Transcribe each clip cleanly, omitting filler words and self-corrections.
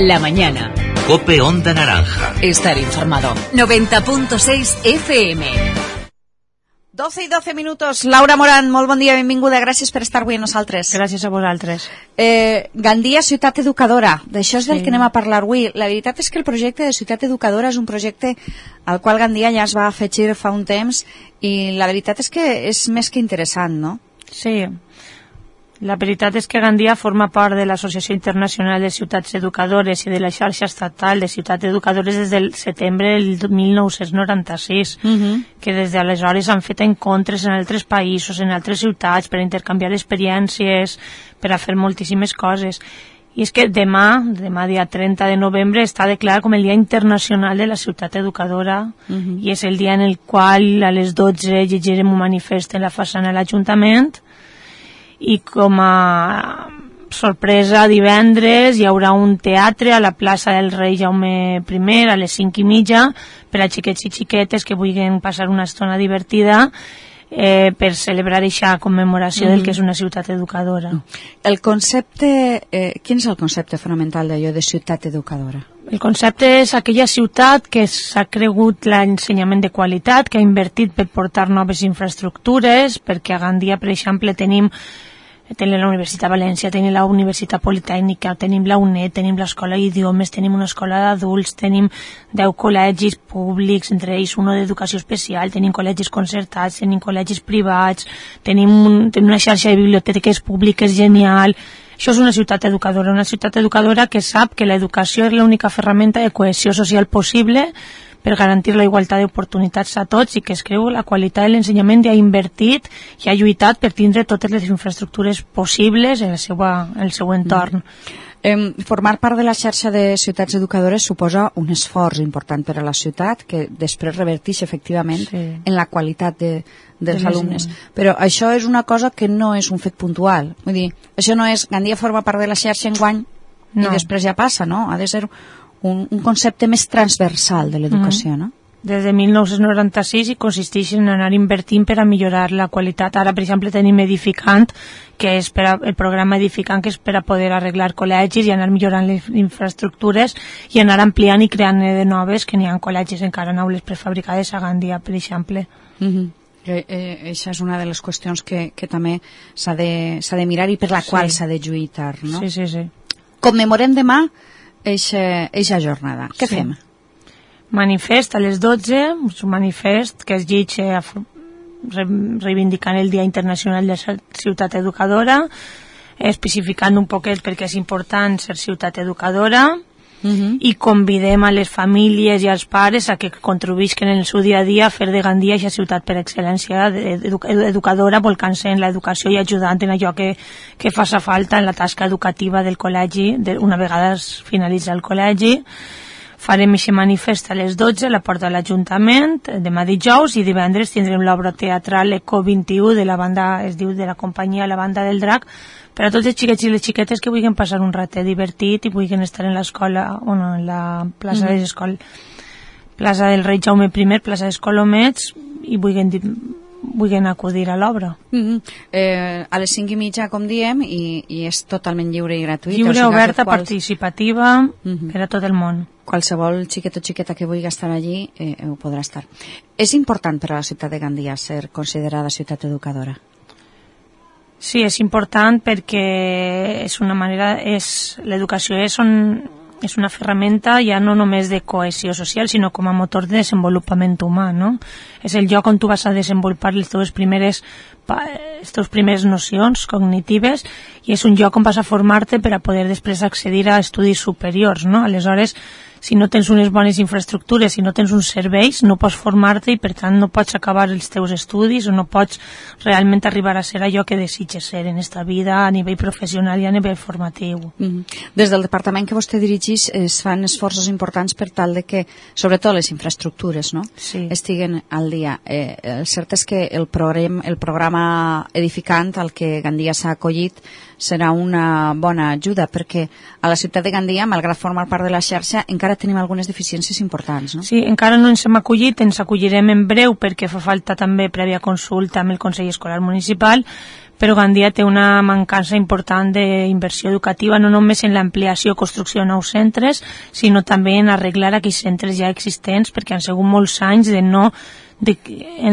La mañana. COPE Onda Naranja. Estar informado. 90.6 FM. 12 i 12 minuts. Laura Moran, molt bon dia, benvinguda. Gràcies per estar avui amb nosaltres. Gràcies a vosaltres. Gandia, ciutat educadora. D'això és del que anem a parlar avui. La veritat és que el projecte de ciutat educadora és un projecte al qual Gandia ja es va afegir fa un temps i la veritat és que és més que interessant, no? Sí. La veritat és que Gandia forma part de l'Associació Internacional de Ciutats Educadores i de la xarxa estatal de ciutats educadores des del setembre del 1996, que des d'aleshores han fet encontres en altres països, en altres ciutats, per intercanviar experiències, per a fer moltíssimes coses. I és que demà dia 30 de novembre, està declarat com el Dia Internacional de la Ciutat Educadora i és el dia en el qual a les 12 llegirem un manifest en la façana de l'Ajuntament. I com a sorpresa, divendres hi haurà un teatre a la plaça del Rei Jaume I a les 5:30 per a xiquets i xiquetes que vulguin passar una estona divertida per celebrar aquesta commemoració del que és una ciutat educadora. El concepte, quin és el concepte fonamental d'allò de ciutat educadora? El concepte és aquella ciutat que s'ha cregut l'ensenyament de qualitat, que ha invertit per portar noves infraestructures, perquè a Gandia, per exemple, tenim la Universitat de València, tenim la Universitat Politècnica, tenim la UNED, tenim l'Escola d'Idiomes, tenim una escola d'adults, tenim 10 col·legis públics, entre ells un d'educació especial, tenim col·legis concertats, tenim col·legis privats, tenim una xarxa de biblioteques públiques genial. Això és una ciutat educadora que sap que l'educació és l'única ferramenta de cohesió social possible per garantir la igualtat d'oportunitats a tots i que es creu la qualitat de l'ensenyament i ha invertit i ha lluitat per tindre totes les infraestructures possibles en el seu entorn. Formar part de la xarxa de ciutats educadores suposa un esforç important per a la ciutat que després reverteix efectivament en la qualitat dels alumnes. Però això és una cosa que no és un fet puntual. Vull dir, això no és Gandia forma part de la xarxa enguany i després ja passa, no? Ha de ser un concepte més transversal de l'educació, no? Des de 1996 i consisteix en anar invertint per a millorar la qualitat. Ara, per exemple, tenim Edificant, que és el programa Edificant, que és per a poder arreglar col·legis i anar millorant les infraestructures i anar ampliant i creant de noves, que n'hi ha col·legis encara en aules prefabricades a Gandia, per exemple. Això és una de les qüestions que també s'ha de mirar i per la qual s'ha de lluitar, no? Sí. Commemorem demà eixa jornada. Què fem? Manifest a les 12, un manifest que es llegeix reivindicant el Dia Internacional de la Ciutat Educadora, especificant un poquet perquè és important ser ciutat educadora, i convidem a les famílies i als pares a que contribuïsquen en el seu dia a dia a fer de Gandia aquesta ciutat per excel·lència educadora, volcant-se en l'educació i ajudant en allò que faci falta en la tasca educativa del col·legi una vegada es finalitza el col·legi. Farem aquest manifest a les 12 a la porta de l'Ajuntament demà dijous i divendres tindrem l'obra teatral Eco 21 de la banda, es diu de la companyia La Banda del Drac, per a tots els xiquets i les xiquetes que vulguin passar un ratet divertit i vulguin estar en l'escola, en la plaça de l'escola, plaça del Rei Jaume I, plaça d'Escolomets, i vulguin acudir a l'obra. A les 5:30, com diem, i és totalment lliure i gratuït. Lliure, oberta, participativa, per a tot el món. Qualsevol xiquet o xiqueta que vulgui estar allí ho podrà estar. És important per a la ciutat de Gandia ser considerada ciutat educadora? Sí, és important perquè és una manera, l'educació és una ferramenta ja no només de cohesió social, sinó com a motor de desenvolupament humà, no? És el lloc on tu vas a desenvolupar les teves primeres nocions cognitives i és un lloc on vas a formar-te per a poder després accedir a estudis superiors, no? Aleshores, si no tens unes bones infraestructures, si no tens uns serveis, no pots formar-te i per tant no pots acabar els teus estudis o no pots realment arribar a ser allò que desitges ser en esta vida a nivell professional i a nivell formatiu. Des del departament que vostè dirigeix es fan esforços importants per tal de que, sobretot les infraestructures, no? Estiguen al dia. El cert és que el programa Edificant al que Gandia s'ha acollit serà una bona ajuda perquè a la ciutat de Gandia, malgrat formar part de la xarxa, encara tenim algunes deficiències importants, no? Sí, encara no ens hem acollit, ens acollirem en breu perquè fa falta també prèvia consulta amb el Consell Escolar Municipal, però Gandia té una mancança important d'inversió educativa, no només en l'ampliació o construcció de nous centres, sinó també en arreglar aquells centres ja existents, perquè han sigut molts anys en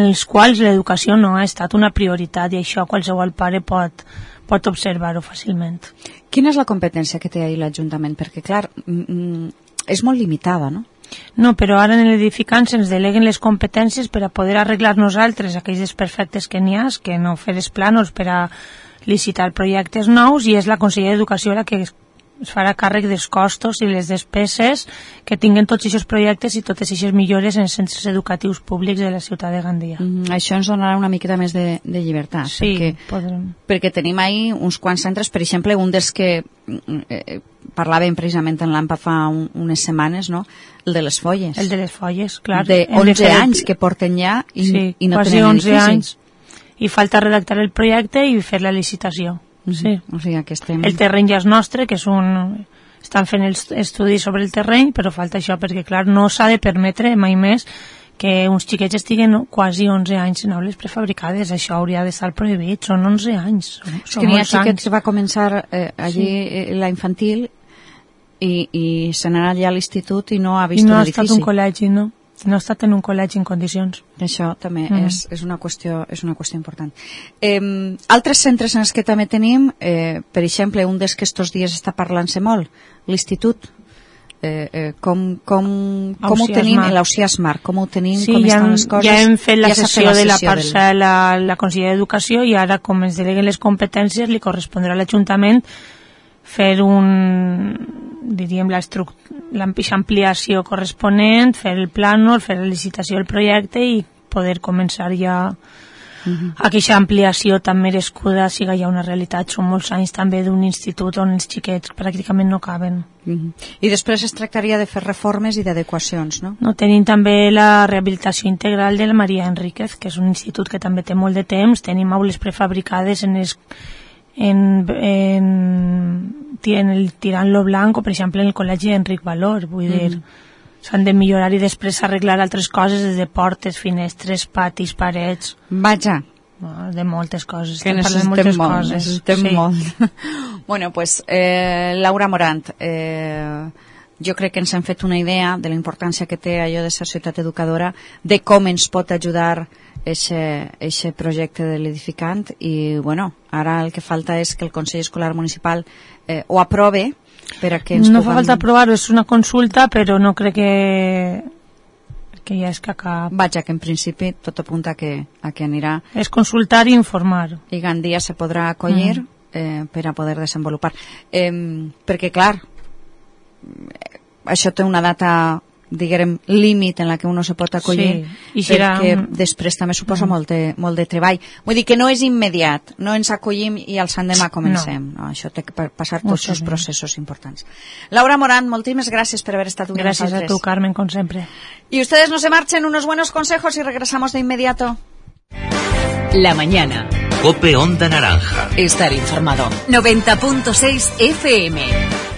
els quals l'educació no ha estat una prioritat, i això qualsevol pare pot observar-ho fàcilment. Quina és la competència que té ahir l'Ajuntament? Perquè, clar, és molt limitada, no? No, però ara en l'edificant se'ns deleguen les competències per a poder arreglar nosaltres aquells desperfectes que n'hi ha, que no fer els plànols per a licitar projectes nous, i és la Conselleria d'Educació la que es farà càrrec dels costos i les despeses que tinguen tots aquests projectes i totes aquestes millores en els centres educatius públics de la ciutat de Gandia. Això ens donarà una miqueta més de llibertat. Sí, perquè tenim ahí uns quants centres, per exemple, un dels que parlàvem precisament en l'AMPA fa unes setmanes, no? El de les Folles. El de les Folles, clar. De 11 anys que porten ja i no tenen edifici. 11 anys. I falta redactar el projecte i fer la licitació. Sí. O sigui que estem... El terreny ja és nostre, que estan fent els estudis sobre el terreny, però falta això perquè, clar, no s'ha de permetre mai més que uns xiquets estiguen quasi 11 anys en aules prefabricades. Això hauria d'estar prohibit, són 11 anys. És que n'hi ha xiquets que va començar allí la infantil i se n'ha anat ja a l'institut i no ha vist un edifici. I no ha estat un col·legi, no? No ha estat en un col·legi en condicions. Això també és una qüestió important. Altres centres en els que també tenim, per exemple, un dels que estos dies està parlant-se molt, l'institut. Com ho tenim, l'Ausià Smart, com ho tenim, com estan les coses. Ja hem fet la sessió de la parcel·la a la Conselleria d'Educació, i ara, com ens deleguen les competències, li correspondrà a l'Ajuntament fer l'ampliació corresponent, fer el plànol, fer la licitació del projecte i poder començar ja aquesta ampliació tan merescuda siga ja una realitat. Són molts anys també d'un institut on els xiquets pràcticament no caben. I després es tractaria de fer reformes i d'adequacions, no? No, tenim també la rehabilitació integral de la Maria Enríquez, que és un institut que també té molt de temps. Tenim aules prefabricades en el Tirant-lo Blanc, o per exemple en el col·legi Enric Valor. Vull dir, s'han de millorar i després arreglar altres coses, des de portes, finestres, patis, parets. Vaja, de moltes coses. Que necessitem molt. Bueno, pues Laura Morant, jo crec que ens hem fet una idea de la importància que té allò de ser ciutat educadora, de com ens pot ajudar eixe projecte de l'edificant, i bueno, ara el que falta és que el Consell Escolar Municipal ho aprove per a que ens no fa falta aprovar-ho, és una consulta, però no crec que ja és que cap... Vaja, que en principi tot apunta a que anirà... És consultar i informar. I Gandia se podrà acollir per a poder desenvolupar. Perquè, clar, això té una data, diguem, límit en la que uno se pot acollir, perquè després també suposa molt de treball. Vull dir que no és immediat, no ens acollim i al sant demà comencem. No, això té que passar tots els processos importants. Laura Morant, moltíssimes gràcies per haver estat con nosotros. Gracias a tu, Carmen, con siempre. Y ustedes no se marchen, unos buenos consejos y regresamos de inmediato. La mañana. COPE Onda Naranja. Estar informado. 90.6 FM.